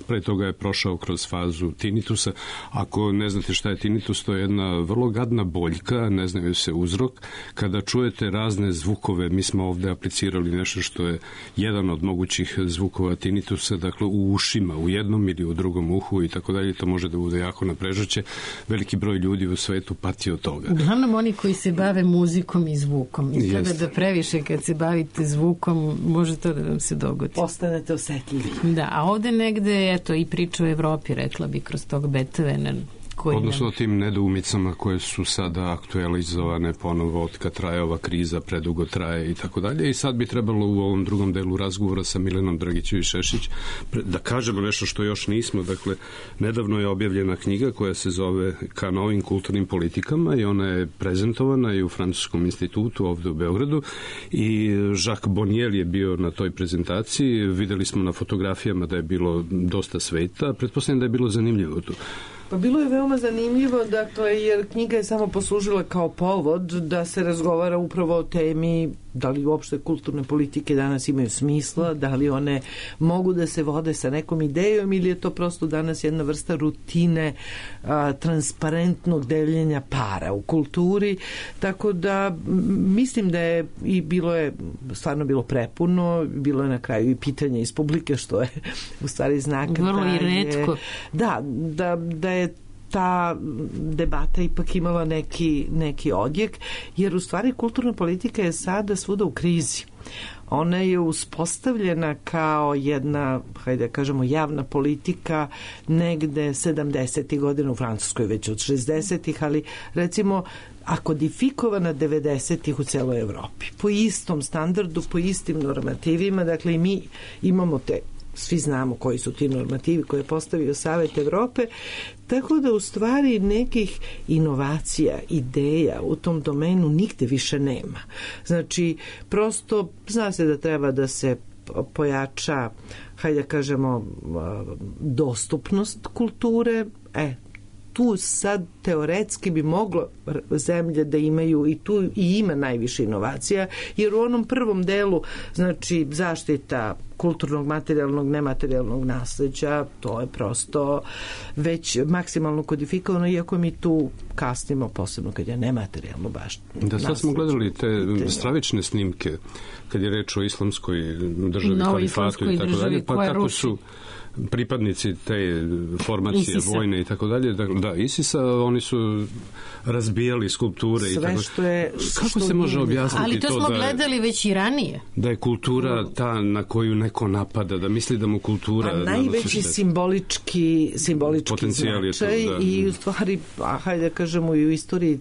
pre toga je prošao kroz fazu tinnitusa. Ako ne znate šta je tinnitus, to je jedna vrlo gadna boljka, ne znaju se uzrok, kada čujete razne zvukove, mi smo ovde aplicirali nešto što je jedan od mogućih zvukova tinnitusa, dakle u ušima, u jednom ili u drugom uhu i tako dalje, to može da bude jako naprežuće. Veliki broj ljudi u svetu pati od toga. Uglavnom oni koji se bave muzikom i zvukom. Izgleda da previše kad se bavite zvukom, može to da vam se dogodi. Postanete osetljivi. Da, a ovde negde, eto, i priča o Evropi, rekla bi, kroz tog Beethovena, odnosno tim nedoumicama koje su sada aktualizovane ponovo od kad traje ova kriza, predugo traje i tako dalje. I sad bi trebalo u ovom drugom delu razgovora sa Milenom Dragićević-Šešić da kažemo nešto što još nismo. Dakle, nedavno je objavljena knjiga koja se zove Ka novim kulturnim politikama i ona je prezentovana i u Francuskom institutu ovde u Beogradu i Jacques Bonnier je bio na toj prezentaciji. Videli smo na fotografijama da je bilo dosta sveta. Pretpostavljam da je bilo zanimljivo tu. Pa bilo je veoma zanimljivo, dakle, jer knjiga je samo poslužila kao povod da se razgovara upravo o temi da li uopšte kulturne politike danas imaju smisla, da li one mogu da se vode sa nekom idejom ili je to prosto danas jedna vrsta rutine transparentnog deljenja para u kulturi, tako da mislim da je i bilo je stvarno bilo prepuno, bilo je na kraju i pitanje iz publike što je u stvari znak vrlo i retko. Da je ta debata ipak imala neki odjek, jer u stvari kulturna politika je sada svuda u krizi. Ona je uspostavljena kao jedna, hajde da kažemo, javna politika negde 70. godina u Francuskoj, već od 60. ali recimo a kodifikovana 90-ih u celoj Evropi. Po istom standardu, po istim normativima, dakle i mi imamo svi znamo koji su ti normativi koje je postavio Savet Evrope, tako da u stvari nekih inovacija, ideja u tom domenu nigde više nema. Znači, prosto zna se da treba da se pojača, hajde da kažemo, dostupnost kulture, tu sad teoretski bi moglo zemlje da imaju i tu i ima najviše inovacija, jer u onom prvom delu, znači zaštita kulturnog, materijalnog, nematerijalnog nasleđa, to je prosto već maksimalno kodifikovano, iako mi tu kasnimo, posebno kad je nematerijalno baš da, sad smo gledali te stravične snimke kad je reč o islamskoj državi, kalifatu i tako dalje, pa kako su pripadnici te formacije ISIS-a, vojne i tako dalje, da, ISIS-a, oni su razbijali skulpture sve i tako. Što je, kako se može objasniti to? Ali to smo gledali već i ranije. Da je kultura ta na koju neko napada, da misli da mu kultura... A najveći simbolički značaj i u stvari, hajde da kažemo, i u istoriji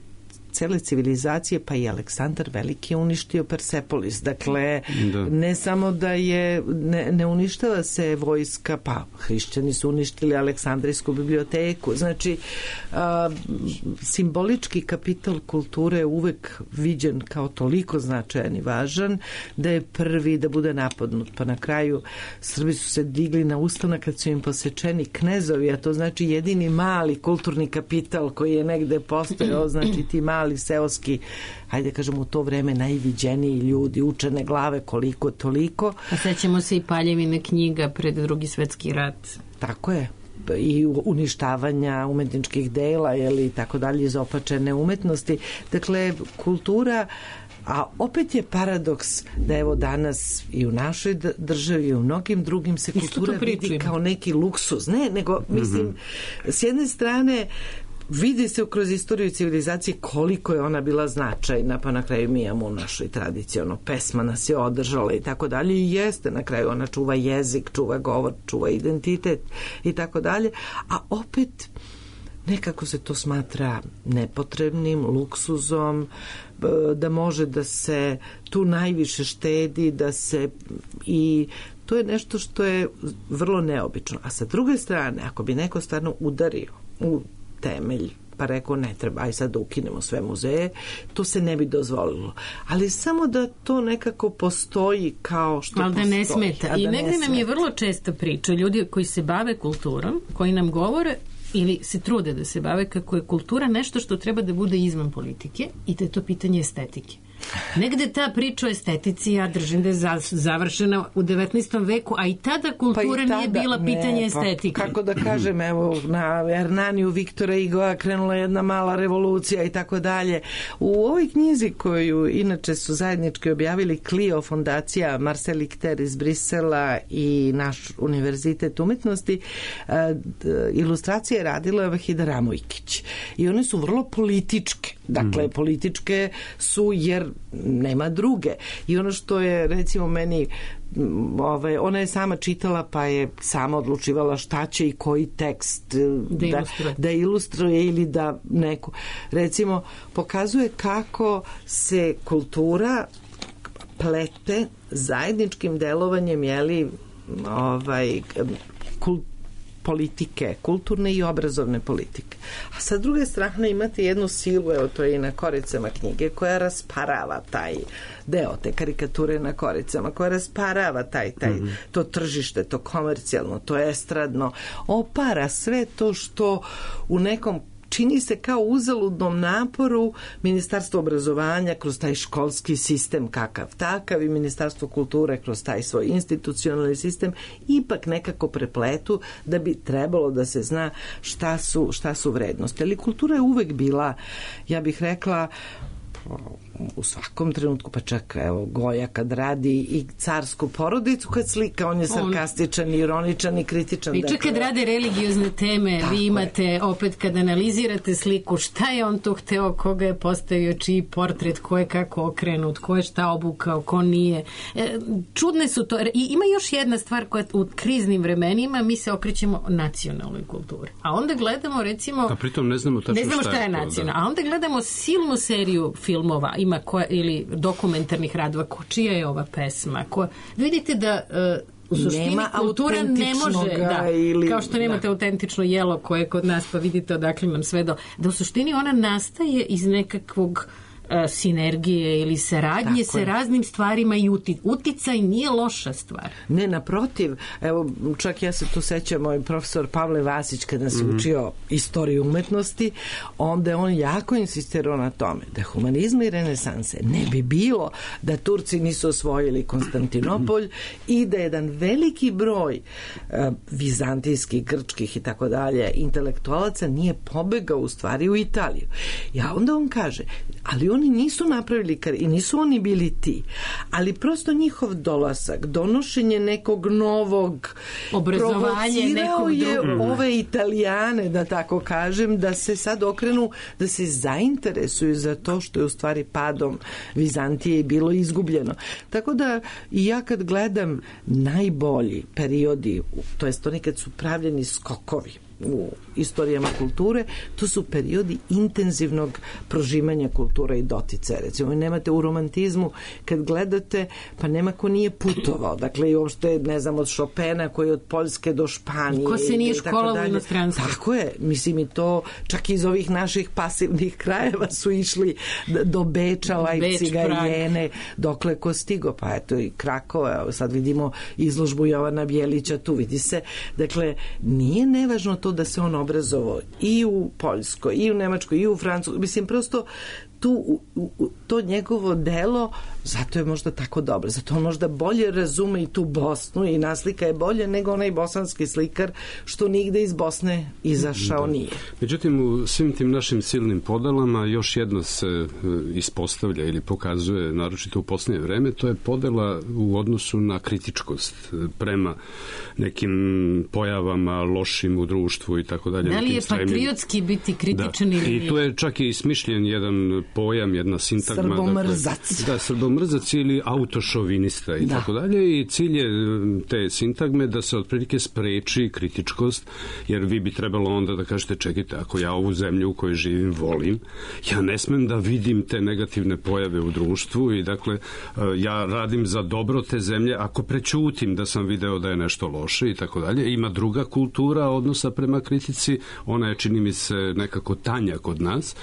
cele civilizacije, pa i Aleksandar Veliki je uništio Persepolis. Dakle, ne samo da je, ne uništava se vojska, pa hrišćani su uništili Aleksandrijsku biblioteku. Znači, simbolički kapital kulture je uvek viđen kao toliko značajan i važan da je prvi da bude napadnut. Pa na kraju Srbi su se digli na ustanak kad su im posečeni knezovi, a to znači jedini mali kulturni kapital koji je negde postojao, znači ti mali seoski, hajde kažemo u to vreme najviđeniji ljudi, učene glave koliko toliko. A sećamo se i Paljevine knjiga pred Drugi svetski rat. Tako je. I uništavanja umetničkih dela ili tako dalje, izopačene umetnosti. Dakle, kultura, a opet je paradoks da evo danas i u našoj državi i u mnogim drugim se kultura vidi kao neki luksuz. Ne, nego mislim, s jedne strane vidi se kroz istoriju civilizacije koliko je ona bila značajna, pa na kraju mi imamo u našoj tradiciji, pesma nas je održala i tako dalje, i jeste na kraju, ona čuva jezik, čuva govor, čuva identitet i tako dalje, a opet nekako se to smatra nepotrebnim, luksuzom, da može da se tu najviše štedi, da se i To je nešto što je vrlo neobično. A sa druge strane, ako bi neko stvarno udario u temelj pa rekao ne treba, aj sad da ukinemo sve muzeje, to se ne bi dozvolilo. Ali samo da to nekako postoji kao što ali postoji. Da ne smeta. I negde nam je vrlo često priča ljudi koji se bave kulturom, koji nam govore ili se trude da se bave kako je kultura nešto što treba da bude izvan politike i da je to pitanje estetike. Negde ta priča o estetici, ja držim da je završena u 19. veku, a i tada kultura nije bila pitanje estetike. Kako da kažem, evo, na Hernaniju Viktora Hugoa krenula jedna mala revolucija i tako dalje. U ovoj knjizi koju inače su zajednički objavili Clio fondacija Marcel Richter iz Brisela i naš univerzitet umetnosti, ilustracije je radila Vahida Ramojkić. I one su vrlo političke. Dakle, političke su jer nema druge. I ono što je recimo meni ona je sama čitala pa je sama odlučivala šta će i koji tekst da ilustruje ili da neku kultura pokazuje kako se kultura plete zajedničkim delovanjem politike, kulturne i obrazovne politike. A sa druge strane imate jednu silu, evo to je i na koricama knjige, koja rasparava taj deo, te karikature na koricama, koja rasparava to tržište, to komercijalno, to estradno, opara sve to što u nekom čini se kao uzaludnom naporu Ministarstvo obrazovanja kroz taj školski sistem kakav takav i Ministarstvo kulture kroz taj svoj institucionalni sistem ipak nekako prepletu da bi trebalo da se zna šta su vrednosti. Ali kultura je uvek bila, ja bih rekla, u svakom trenutku, pa čak evo Goja kad radi i carsku porodicu kad slika, on je sarkastičan, ironičan i kritičan. I čak kad rade religiozne teme, vi imate opet kad analizirate sliku, šta je on to hteo, koga je postavio, čiji portret, ko je kako okrenut, ko je šta obukao, ko nije. Čudne su to. I ima još jedna stvar koja u kriznim vremenima mi se okrećemo nacionalnoj kulturi. A onda gledamo recimo... A pritom ne znamo tačno šta je nacionalno. A onda gledamo silnu seriju filmova ili dokumentarnih radova, čija je ova pesma. Vidite da u suštini kultura ne može, kao što nemate autentično jelo koje kod nas, pa vidite odakle nam sve da u suštini ona nastaje iz nekakvog sinergije ili saradnje sa raznim stvarima i uticaj nije loša stvar. Ne, naprotiv. Evo, čak ja se tu sećam, moj profesor Pavle Vasić kada se učio istoriju umetnosti, onda je on jako insistirao na tome da humanizma i renesanse ne bi bilo da Turci nisu osvojili Konstantinopolj i da jedan veliki broj vizantijskih, grčkih i tako dalje intelektualaca nije pobegao u stvari u Italiju. Ja onda on kaže, ali oni nisu napravili i nisu oni bili ti, ali prosto njihov dolazak, donošenje nekog novog obrazovanje nekog je ove Italijane, da tako kažem, da se sad okrenu, da se zainteresuju za to što je u stvari padom Vizantije bilo izgubljeno. Tako da i ja kad gledam najbolji periodi, to jest oni kad su pravljeni skokovi u istorijama kulture, to su periodi intenzivnog prožimanja kulture i doticaja. Recimo, nemate u romantizmu, kad gledate, pa nema ko nije putovao. Dakle, i uopšte, ne znam, od Chopina koji je od Poljske do Španije. Ko se nije školovao u inostranstvu. Tako je. Mislim, i to čak iz ovih naših pasivnih krajeva su išli do Beča, Lajpciga, Jene, dokle ko stigo. Pa eto i Krakova. Sad vidimo izložbu Jovana Bjelića, tu vidi se. Dakle, nije nevažno to da se on obrazovao i u Poljskoj, i u Nemačkoj, i u Francuskoj. Mislim, prosto to njegovo delo, zato je možda tako dobro, zato on možda bolje razume i tu Bosnu i naslika je bolje nego onaj bosanski slikar što nigde iz Bosne izašao nije. Međutim, u svim tim našim silnim podelama još jedno se ispostavlja ili pokazuje, naročito u posljednje vreme, to je podela u odnosu na kritičkost prema nekim pojavama lošim u društvu i tako dalje. Da li je patriotski biti kritičan ili i tu je čak i smišljen jedan pojam, jedna sintagma. Srbomrzac. Srbomrzac bezomrzac ili autošovinista i tako dalje, i cilj je te sintagme da se otprilike spreči kritičkost, jer vi bi trebalo onda da kažete, čekajte, ako ja ovu zemlju u kojoj živim volim, ja ne smem da vidim te negativne pojave u društvu i dakle ja radim za dobro te zemlje ako prećutim da sam video da je nešto loše i tako dalje. Ima druga kultura odnosa prema kritici, ona je, čini mi se, nekako tanja kod nas.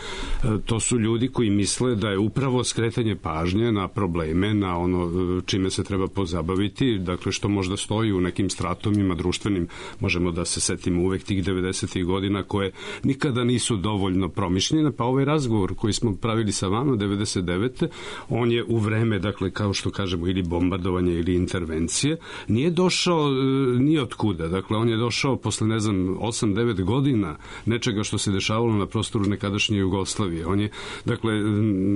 To su ljudi koji misle da je upravo skretanje pažnje na probleme, na ono čime se treba pozabaviti, dakle što možda stoji u nekim stratumima društvenim, možemo da se setimo uvek tih 90. godina koje nikada nisu dovoljno promišljene, pa ovaj razgovor koji smo pravili sa vama 99. on je u vreme, dakle kao što kažemo, ili bombardovanje ili intervencije, nije došao ni od kuda, dakle on je došao posle, ne znam, 8-9 godina nečega što se dešavalo na prostoru nekadašnje Jugoslavije. On je, dakle,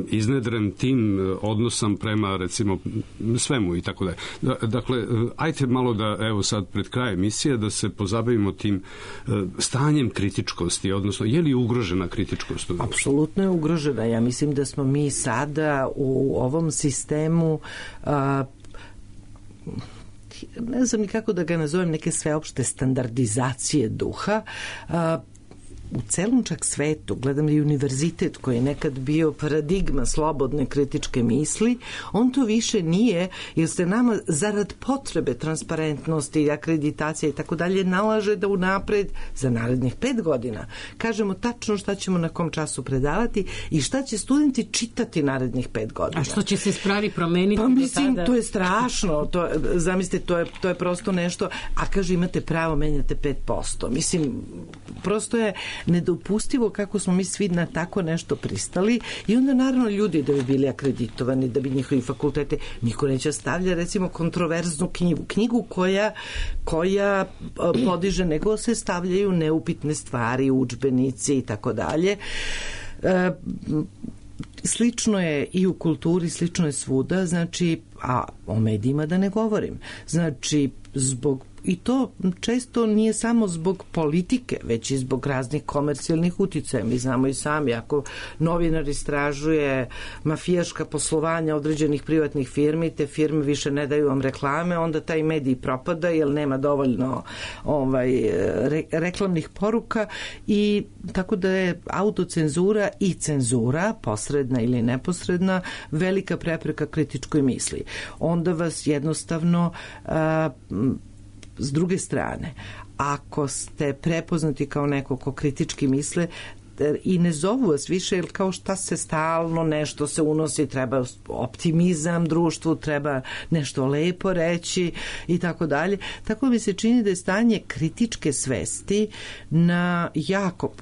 iznedren tim odnosom prema, recimo, svemu i tako dalje. Dakle, ajte malo da, evo sad pred kraj emisije, da se pozabavimo tim stanjem kritičkosti, odnosno, je li ugrožena kritičkost? Apsolutno je ugrožena. Ja mislim da smo mi sada u ovom sistemu ne znam ni kako da ga nazovem, neke sveopšte standardizacije duha, u celom čak svetu, gledam i univerzitet koji je nekad bio paradigma slobodne kritičke misli, on to više nije, jer se nama zarad potrebe transparentnosti i akreditacije i tako dalje nalaže da unapred za narednih 5 godina kažemo tačno šta ćemo na kom času predavati i šta će studenti čitati narednih 5 godina. A što će se spravi promeniti? Pa mislim, to je strašno. Zamislite, to je prosto nešto, a kaže imate pravo, menjate 5%. Mislim, prosto je nedopustivo kako smo mi svi na tako nešto pristali i onda naravno ljudi da bi bili akreditovani, da bi njihovi fakultete, niko neće stavlja recimo kontroverznu knjigu koja podiže, nego se stavljaju neupitne stvari, udžbenici i tako dalje. Slično je i u kulturi, slično je svuda, znači, a o medijima da ne govorim. Znači, i to često nije samo zbog politike, već i zbog raznih komercijalnih uticaja. Mi znamo i sami, ako novinar istražuje mafijaška poslovanja određenih privatnih firmi, te firme više ne daju vam reklame, onda taj medij propada jer nema dovoljno reklamnih poruka, i tako da je autocenzura i cenzura, posredna ili neposredna, velika prepreka kritičkoj misli. Onda vas jednostavno s druge strane, ako ste prepoznati kao neko ko kritički misle i ne zovu vas više, jer kao šta se stalno nešto se unosi, treba optimizam društvu, treba nešto lepo reći i tako dalje. Tako mi se čini da je stanje kritičke svesti na jako,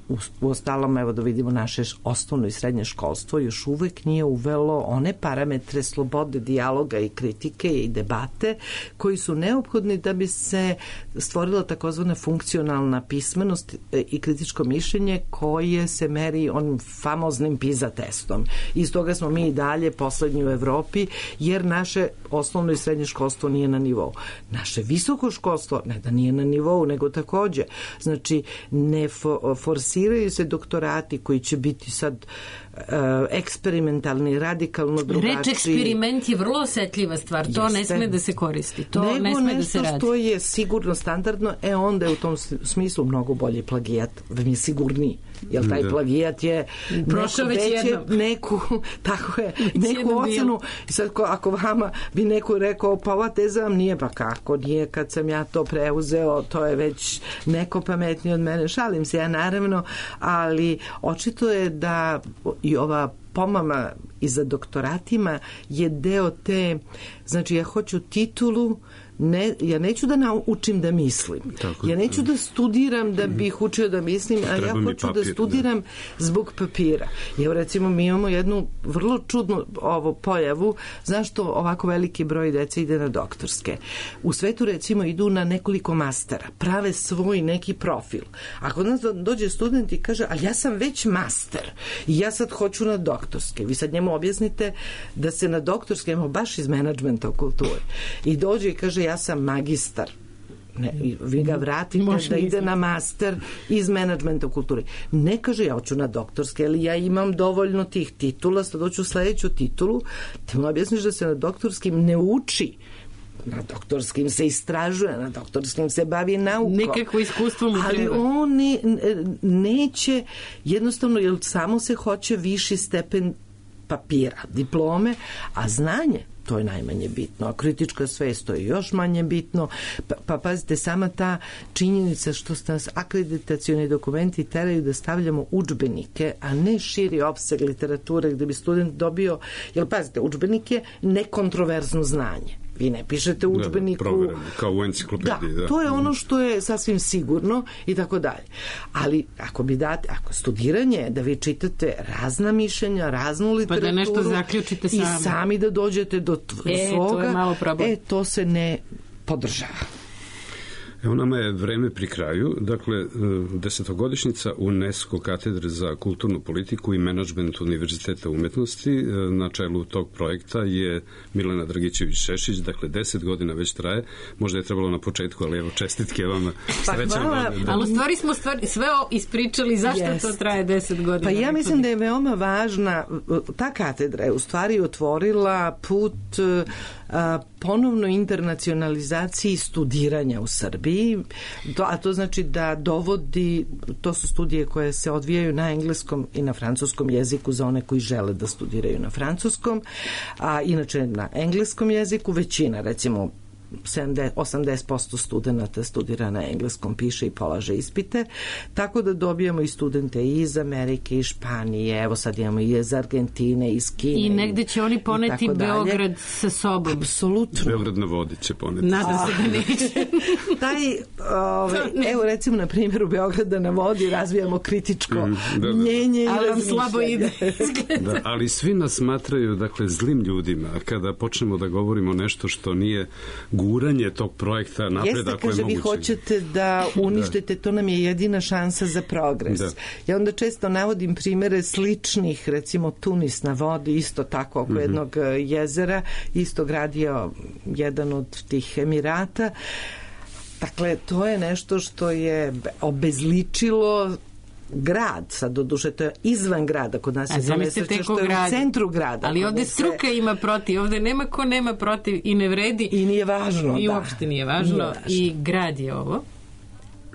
uostalom, evo da vidimo naše osnovno i srednje školstvo, još uvek nije uvelo one parametre slobode dijaloga i kritike i debate koji su neophodni da bi se stvorila takozvana funkcionalna pismenost i kritičko mišljenje koje se meri onim famoznim PISA testom. Iz toga smo mi i dalje poslednji u Evropi, jer naše osnovno i srednje školstvo nije na nivou. Naše visoko školstvo ne da nije na nivou, nego takođe. Znači, ne forsiraju se doktorati koji će biti sad eksperimentalni, radikalno drugačiji. Reč eksperiment je vrlo osetljiva stvar. To ne sme da se koristi. To nego ne sme da se radi. Nešto što je sigurno standardno, onda je u tom smislu mnogo bolji plagijat. Mi je sigurniji. Jer taj plagijat je neku ocenu. Sad ako vama bi neko rekao, pa ova teza vam nije, pa kako nije, kad sam ja to preuzeo, to je već neko pametniji od mene. Šalim se ja naravno, ali očito je da i ova pomama i za doktoratima je deo te, znači ja hoću titulu, ja neću da naučim da mislim. Ja neću da studiram da bih učio da mislim, a ja hoću da studiram zbog papira. Evo recimo mi imamo jednu vrlo čudnu pojavu, zašto ovako veliki broj dece ide na doktorske. U svetu recimo idu na nekoliko mastera, prave svoj neki profil. Ako nas dođe student i kaže, ali ja sam već master i ja sad hoću na doktorske. Vi sad njemu objasnite da se na doktorske, baš iz menadžmenta u kulturi, i dođe i kaže, ja sam magistar Ne, vi ga vratite da ide na master iz menadžmenta u kulturi. Ne kaže ja hoću na doktorske, ali ja imam dovoljno tih titula, sad hoću sledeću titulu, ti mu objasniš da se na doktorskim ne uči, na doktorskim se istražuje, na doktorskim se bavi naukom. Nekako iskustvo mu treba. Ali on neće, jednostavno, jer samo se hoće viši stepen papira, diplome, a znanje, to je najmanje bitno, a kritička svest, to je još manje bitno. Pa pazite, sama ta činjenica što nas akreditacioni dokumenti teraju da stavljamo udžbenike, a ne širi opseg literature gde bi student dobio, jer pazite, udžbenik je nekontroverzno znanje. Vi ne pišete u udžbeniku... kao u enciklopediji. Da, to je ono što je sasvim sigurno i tako dalje. Ali ako studiranje, da vi čitate razna mišljenja, raznu literaturu... Pa da nešto zaključite sami. I sami da dođete do svoga... to je malo problem. To se ne podržava. Evo nama je vreme pri kraju, dakle 10-godišnjica UNESCO katedre za kulturnu politiku i menadžment Univerziteta umetnosti. Na čelu tog projekta je Milena Dragićević-Šešić, dakle 10 godina već traje, možda je trebalo na početku, ali evo čestitke vama. Ali u stvari smo sve ispričali zašto to traje 10 godina. Pa ja mislim da je veoma važna, ta katedra je u stvari otvorila put ponovno internacionalizaciji studiranja u Srbiji, a to znači da dovodi, to su studije koje se odvijaju na engleskom i na francuskom jeziku za one koji žele da studiraju na francuskom, a inače na engleskom jeziku većina, recimo 80% studenta studira na engleskom, piše i polaže ispite, tako da dobijamo i studente iz Amerike, iz Španije, evo sad imamo i iz Argentine, iz Kine. I negde će oni poneti Beograd sa sobom. Apsolutno. Beograd na vodi će poneti. Nadam se da neće. Evo recimo na primjeru Beograda na vodi razvijamo kritičko mnjenje. Ali vam slabo ide. Da, ali svi nas smatraju, dakle, zlim ljudima kada počnemo da govorimo nešto što nije guranje tog projekta napreda. Jeste, kaže, vi hoćete da uništite, to nam je jedina šansa za progres. Da. Ja onda često navodim primere sličnih, recimo Tunis na vodi, isto tako oko jednog jezera, isto gradio jedan od tih Emirata. Dakle, to je nešto što je obezličilo grad, sad doduše to je izvan grada, kod nas je to nesreće što je u centru grada. Ali ovde struka ima protiv, ovde nema ko nema protiv i ne vredi. I nije važno, I uopšte nije važno. I grad je ovo.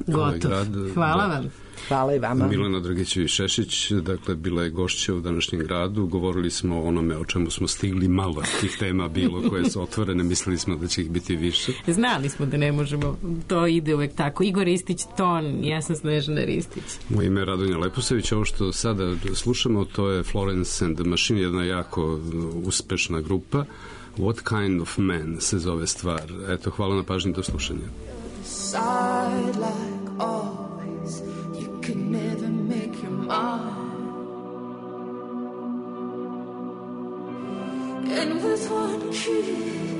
Gotov. Hvala vam. Hvala i vama. Milena Dragićević-Šešić, dakle, bila je gošća u današnjem gradu. Govorili smo o onome o čemu smo stigli, malo tih tema bilo koje su otvorene, mislili smo da će ih biti više. Znali smo da ne možemo, to ide uvek tako. Igor Ristić, ton, ja sam Snežana Ristić. Moje ime je Radonja Leposević, ovo što sada slušamo, to je Florence and the Machine, jedna jako uspešna grupa. What Kind of Man se zove stvar. Eto, hvala na pažnji, do slušanja. Could never make your mind. And with one kiss